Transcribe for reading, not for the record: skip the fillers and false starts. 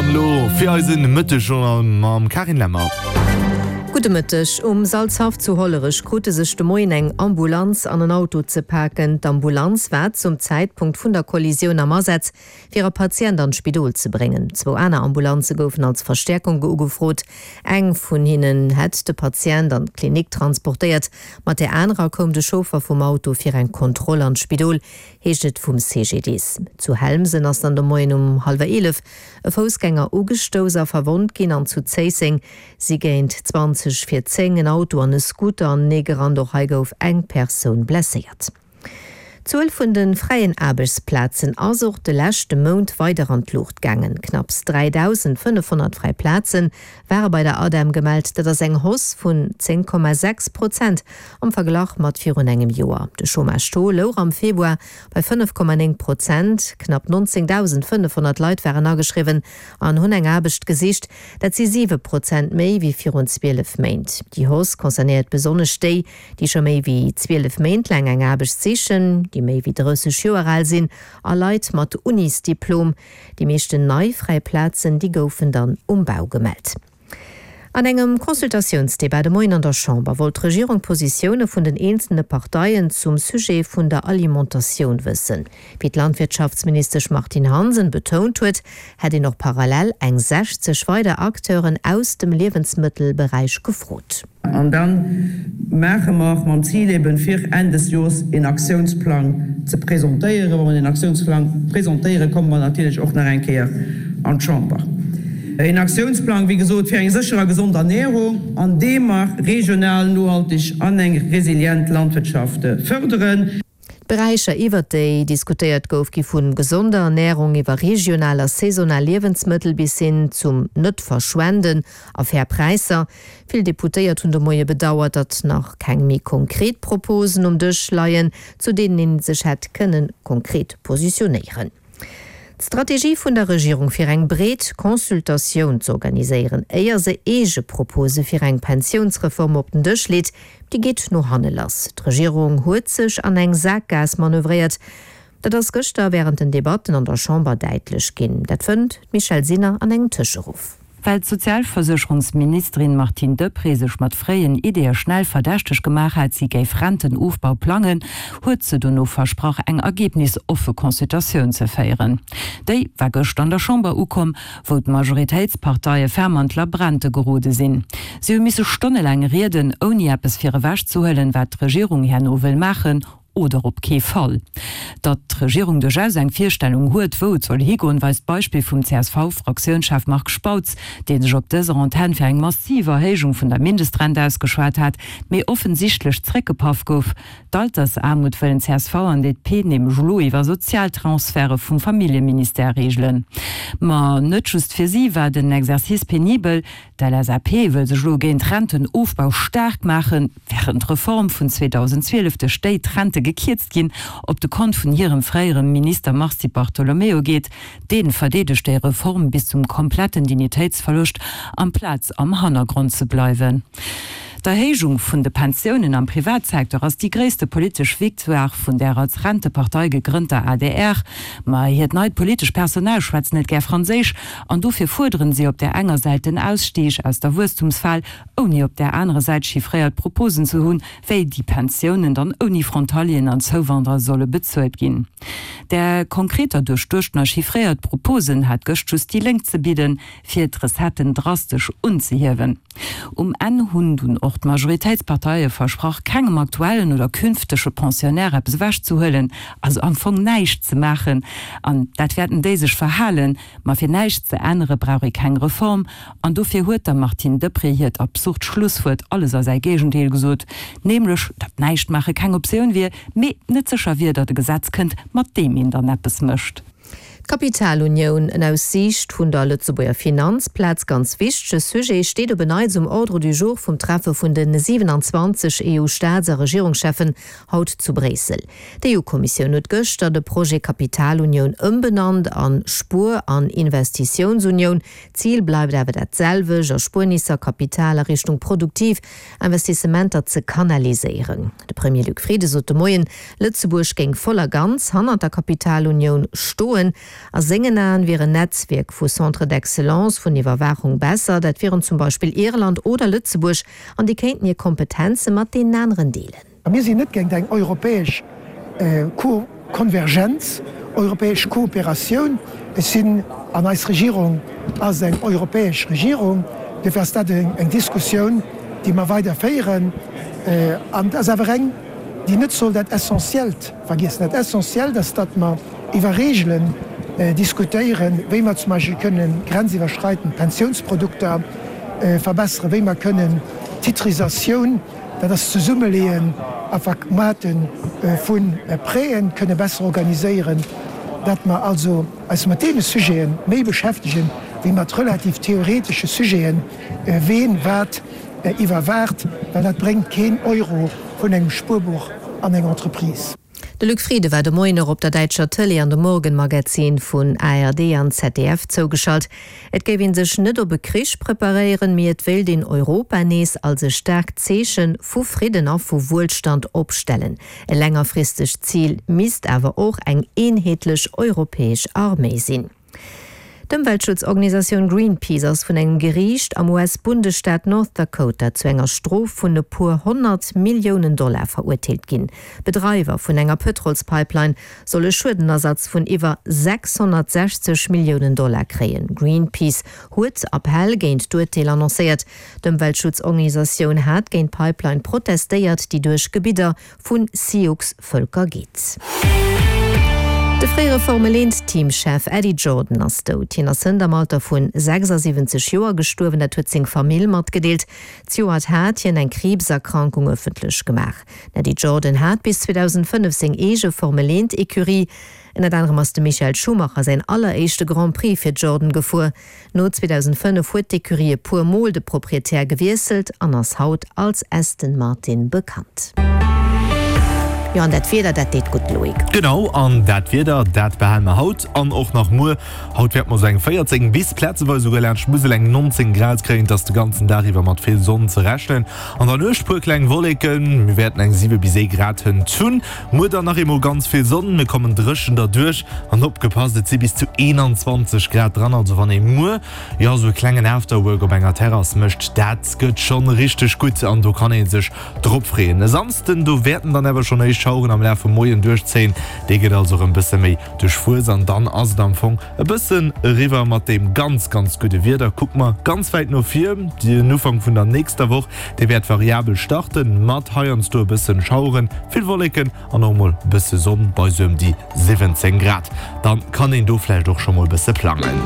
Dann elo fir eisen Mëttegjournal mam Carine Lemmer. Gudde Mëtteg. Um Salzhaff zu Hollerech krute sech de Moien eng Ambulanz an en Auto ze paken. D'Ambulanz war zum Zäitpunkt vun der Kollisioun am Asaz, fir e Patient an d'Spidol ze bréngen. Zwou aner Ambulanze goufen als Verstäerkung ugefrot. Eng vun hinnen hätt de Patient an d'Klinik transportéiert, mat där anerer koum de Chauffer vum Auto fir eng Kontroll an d'Spidol. heescht et vum CGDIS. Zu Helmsen ass dann de Moien um hallwer 11 e Foussgänger ugestouss a verwonnt ginn an zu Zéisseng si géint 20 vir 10 en Auto an e Scooter aneneegerannt. Och hei gouf eng Persoun blesséiert. D'Zuel vun de fräien Aarbechtsplazen ass och de leschte Mount weider an d'Luucht gaangen. Knapps 3.500 fräi Plaze ware bei der ADEM gemellt. Dat ass eng Hausse vun 10,6 Prozent am Verglach mat virun engem Joer. De Chômage-Taux louch am Februar bei 5,9 Prozent. Knapp 19.500 Leit waren ageschriwwen an hunn eng Aarbecht gesicht. Dat si 7 Prozent méi wéi virun 12 Méint. Déi Hausse concernéiert besonnesch déi, déi scho méi wéi 12 Méint laang eng Aarbecht sichen, déi méi wéi 30 Joer al sinn a Leit mat Unisdiplom. Déi meeschten nei fräi Plazen, déi goufen dann um Bau gemellt. An engem Consultatiounsdebat de Moien an der Chamber wollt d'Regierung d'Positioune vun den eenzelne Parteien zum Sujet vun der Alimentatioun wëssen. Wéi d'Landwirtschaftsministesch Martine Hansen betount huet, hätt een och parallel eng 60 weider Acteuren aus dem Liewensmëttelberäich gefrot. An da maache mer mam Zil eben, fir Enn des Jors een Aktiounsplang ze presentéieren. Wa mer deen Aktiounsplang presentéieren, komme mer natierlech och nach eng Kéier an d'Chamber. Een Aktiounsplang, wéi gesot, fir eng sécher a gesond Ernährung, an deem mer regional, nohalteg an eng resilient Landwirtschaft fërderen. D'Beräicher, iwwert déi diskutéiert gouf, gi vu gesonder Ernärung iwwer regional a saisonal Liewensmëttel bis hin zum Net-Verschwenden a fair Präisser. Vill Deputéiert hunn de Moie bedauert, datt nach keng méi konkret Proposen um Dësch leien, zu deenen ee sech hätt kënne konkret positionéieren. D'Strategie vun der Regierung fir eng breet Consultatioun z'organiséieren, éier se eege Propose fir eng Pensiounsreform op den Dësch leet, déi geet no hanne lass. D'Regierung huet sech an eng Sakgaass manövréiert. Dat ass gëschter wärend den Debatten an der Chamber däitlech ginn. Dat fënnt d'Michèle Sinner an engem Tëscheruff. Well d'Sozialversécherungsministerin Martine Deprez sech mat fréien Ideeë schnell verdächteg gemaach hat, si géif Rentenofbau plangen, huet se dono versprach, eng ergebnisoffe Consultatioun ze féieren. Déi war gëscht an der Chamber ukomm, wou d'Majoritéitsparteie ferm an d'Labrente gerode sinn. Si hu misse stonnelaang rieden, ouni eppes fir ewech ze huelen, wat d'Regierung herno wëll maachen oder op kee Fall. Datt d'Regierung duerchaus eng Virstellung huet, wou et soll higoen, weist d'Beispill vum CSV-Fraktiounschef Marc Spautz, dee sech op dëser Antenn fir eng massiv Erhéijung vun der Mindestrent ausgeschwat hat, mee offensichtlech zréckgepaff gouf. D'Altersaarmut wëllen csv an DP nämlech elo iwwer Sozialtransferte vum Familljeministère reegelen. Ma net just fir si war den Exercice penibel, D'LSAP wëll sech elo géint Rentenofbau staark maachen, wärend d'Reform vun 2012, duerch déi d'Rente gekierzt ginn, op de Kont vun hirem fréiere Minister Mars Di Bartolomeo geet. Dee verdeedegt déi Reform bis zum kompletten Dignitéitsverloscht, amplaz am Hannergrond ze bleiwen. D'Erhéijung vun de Pensiounen am Privatsecteur ass déi gréisste politesch Victoire vun där als Rentepartei gegrënnter adr. Ma hiert neit politesch Personal schwätzt net gär Franséisch An dofir fuerderen si op där enger Säit den Ausstieg aus der Wuesstumsfal, ouni op där anerer Säit chiffréiert Proposen ze hunn, wéi déi Pensiounen dann ouni Frontalieren an Zouwanderer solle bezuelt ginn. Där konkreter duerchduechtener chiffréiert Proposen hat gëscht just déi Lénk ze bidden, fir d'Recetten drastesch unzehiewen. Um Enn hunn dunn och d'Majoritéitsparteie versprach, kengem aktuellen oder künftege Pensionnaire eppes ewechzehuelen, also am Fong näischt ze maachen. An dat wäerten déi sech verhalen. Ma fir näischt ze ännere brauch ee keng Reform. An dofir huet der Martine Deprez hiert absurd Schlusswuert alles a säi Géigendeel gesot, nämlech datt näischt maache keng Optioun wier, mee net sécher wier, datt e Gesetz kënnt, mat deem een dann eppes mécht. D'Kapitalunioun, en aus Siicht vun der Lëtzebuerger Finanzplaz ganz wichtege Sujet, steet op en Neits um Ordre du jour vum Treffe vun de 27 EU-Staats a Regierungscheffen haut zu Bréissel. D'EU-Kommissioun huet gëschter de Projet Kapitalunioun ëmbenannt an Spuer an Investitiounsunioun. D'Zil bleift awer dat selwecht, Erspuernisser, Kapital a Richtung produktiv Investissementer ze kanaliséieren. De Premier Luc Frieden sot de Moien, Lëtzebuerg géing voll a ganz hannert der Kapitalunioun stoen. A sengen Aen wier en Netzwierk vu Centres d'excellence vun Iwwerwaachung besser, dat wieren zum Beispill Irland oder Lëtzebuerg, an déi kéinten hir Kompetenze mat deenen aneren deelen. A mir sinn net géint eng europäesch Konvergenz, europäesch Kooperatioun. Ech sinn, an eis Regierung ass eng europäesch Regierung, duerfir ass dat eng Diskussioun, déi mer weider féieren. An et ass awer eng, déi net soll dat Essentiellt vergiessen. Dat Essentiellt ass, datt mer iwwer Reegelen diskutéieren, wéi mer zum Beispill kënnen grenziwwerschreitend Pensiounsprodukter verbesseren, wéi mer kënnen d'Titrisatioun, dat ass d'Zesummeleeën a Vermaarte vu Prêten, kënne besser organiséieren, datt mer also eis mat deene Sujete méi beschäftegen, wéi mat relativ theoretesche Sujeten, ween wat iwwerwaacht, well dat bréngt keen Euro vun engem Spuerbuch an eng Entreprise. De Luc Frieden war de Moien och op der däitscher Tëlee an de Morgenmagazin vun ARD an ZDF zougeschalt. Et géif ee sech net op e Krich preparéieren, mee et wéilt een Europa nees als e staarkt Zeeche vu Fridden a vu Wuelstand opstellen. E längerfristegt Zil misst awer och eng eenheetlech europäesch Arméi sinn. D'Ëmweltschutzorganisatioun Greenpeace ass vun engem Geriicht am US-Bundesstaat North Dakota zu enger Strof vun e puer 100 Milliounen Dollar verurteelt ginn. Bedreiwer vun enger Pëtrolspipeline soll e Schuedenersatz vun iwwer 660 Milliounen Dollar kréien. Greenpeace huet Appell géint d'Urteel annoncéiert. D'Ëmweltschutzorganisatioun hat géint d'Pipeline protestéiert, déi duerch Gebidder vu Sioux-Vëlker geet. De fréiere Formel-Eent-Teamchef Eddie Jordan ass dout. Hien ass hënt am Alter vu 76 Joer gestuerwen, dat huet seng Famill matgedeelt. Zejoert hat hien eng Kriibserkrankung ëffentlech gemaach. Den Eddie Jordan hat bis 2005 seng eege Formel-Eent-Ecurie. Ënnert anerem ass de Michael Schumacher säin alleréischte Grand Prix fir Jordan gefuer. No 2005 huet d'Ecurie e puer Mol de Proprietär gewiesselt an ass haut als Aston Martin bekannt. Jo, an dat Wieder, dat deet gutt, Loïc. Genau, an dat Wieder, dat behale mer haut an och nach muer. Haut wäerte mer sou eng 14 bis plazeweis esouguer laanscht d'Musel eng 19 Grad kréien. Et ass de ganzen Dag iwwer mat vill Sonn ze rechnen. An der Nuecht puer kleng Wolleken, mir wäerten eng 7 bis 1 Grad hënt hunn. Muer dann nach eemol ganz vill Sonn, mir kommen dréchen derduerch an opgepasst, et si bis zu 21 Grad dran, also wann ee muer jo esou e klengen Afterwork op enger Terrass mécht, dat gëtt schonn richteg gutt an do kann ee sech drop freeën. E Samsden, do wäerten dann awer schonn éischt Schaueren am Laf vum Moien duerchzéien, dee gëtt also erëm bësse méi duerchwuess an dann ass et am Fong e bëssen eriwwer mat deem ganz, ganz gudde Wieder. Kucke mer ganz wäit no vir, den Ufank vun der nächster Woch, Dee wäert variabel starten, mat heiansdo e bëssen Schaueren, vill Wolleken an och mol bësse Sonn bei sou ëm déi 17 Grad. Dann kann een do vläicht och scho mol bësse plangen.